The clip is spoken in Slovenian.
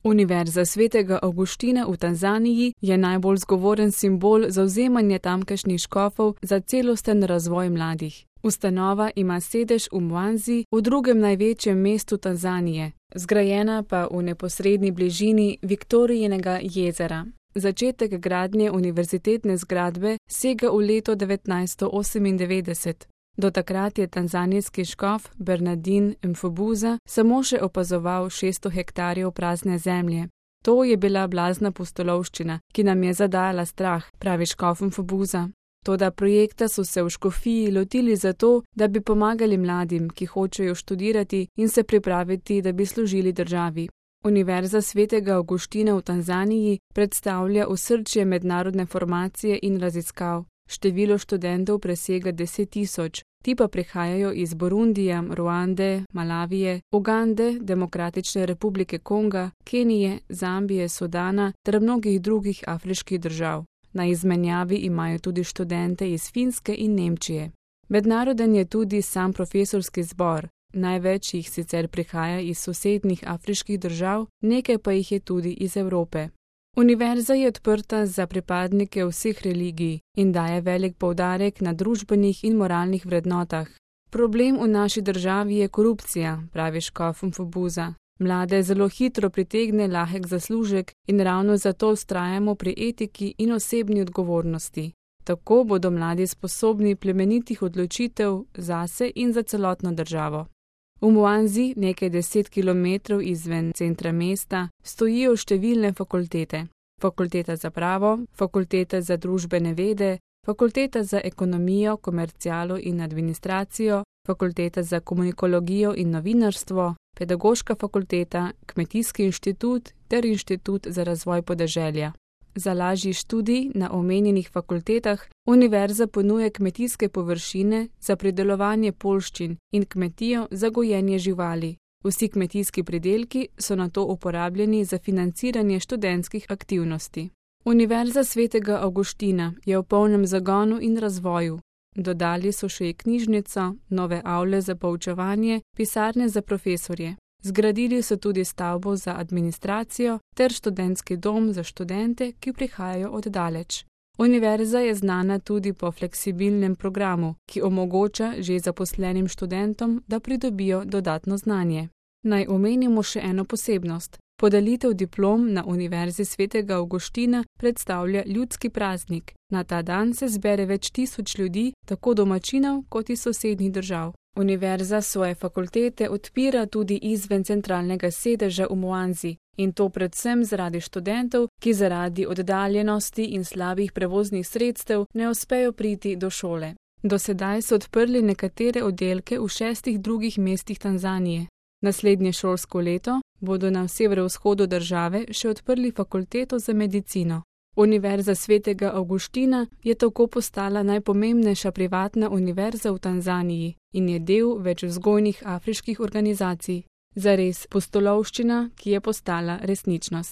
Univerza svetega Avguština v Tanzaniji je najbolj zgovoren simbol zavzemanja tamkajšnjih škofov za celosten razvoj mladih. Ustanova ima sedež v Mwanzi, v drugem največjem mestu Tanzanije, zgrajena pa v neposredni bližini Viktorijinega jezera. Začetek gradnje univerzitetne zgradbe sega v leto 1998. Do takrat je tanzanijski škof Bernardin Mfubuza samo še opazoval 600 hektarjev prazne zemlje. To je bila blazna pustolovščina, ki nam je zadajala strah, pravi škof Mfubuza. Toda projekta so se v škofiji lotili zato, da bi pomagali mladim, ki hočejo študirati in se pripraviti, da bi služili državi. Univerza svetega Avguština v Tanzaniji predstavlja osrčje mednarodne formacije in raziskav. Število študentov presega 10 000, ti pa prihajajo iz Burundija, Ruande, Malavije, Ugande, Demokratične republike Konga, Kenije, Zambije, Sudana ter mnogih drugih afriških držav. Na izmenjavi imajo tudi študente iz Finske in Nemčije. Mednaroden je tudi sam profesorski zbor. Največ jih sicer prihaja iz sosednjih afriških držav, nekaj pa jih je tudi iz Evrope. Univerza je odprta za pripadnike vseh religij in daje velik poudarek na družbenih in moralnih vrednotah. Problem v naši državi je korupcija, pravi škof Mfubuza. Mlade zelo hitro pritegne lahek zaslužek in ravno zato vztrajamo pri etiki in osebni odgovornosti. Tako bodo mladi sposobni plemenitih odločitev zase in za celotno državo. V Mwanzi, nekaj 10 kilometrov izven centra mesta, stojijo številne fakultete. Fakulteta za pravo, fakulteta za družbene vede, fakulteta za ekonomijo, komercialo in administracijo, fakulteta za komunikologijo in novinarstvo, pedagoška fakulteta, kmetijski inštitut ter inštitut za razvoj podeželja. Za lažji študij na omenjenih fakultetah univerza ponuja kmetijske površine za pridelovanje poljščin in kmetijo za gojenje živali. Vsi kmetijski pridelki so nato uporabljeni za financiranje študentskih aktivnosti. Univerza svetega Avguština je v polnem zagonu in razvoju. Dodali so še knjižnico, nove avle za poučevanje, pisarne za profesorje. Zgradili so tudi stavbo za administracijo ter študentski dom za študente, ki prihajajo od daleč. Univerza je znana tudi po fleksibilnem programu, ki omogoča že zaposlenim študentom, da pridobijo dodatno znanje. Naj omenimo še eno posebnost. Podelitev diplom na Univerzi svetega Avguština predstavlja ljudski praznik. Na ta dan se zbere več tisoč ljudi, tako domačinov kot iz sosednjih držav. Univerza svoje fakultete odpira tudi izven centralnega sedeža v Mwanzi, in to predvsem zaradi študentov, ki zaradi oddaljenosti in slabih prevoznih sredstev ne uspejo priti do šole. Do sedaj so odprli nekatere oddelke v 6 drugih mestih Tanzanije. Naslednje šolsko leto bodo na severovzhodu države še odprli fakulteto za medicino. Univerza svetega Avguština je tako postala najpomembnejša privatna univerza v Tanzaniji in je del več vzgojnih afriških organizacij. Zares pustolovščina, ki je postala resničnost.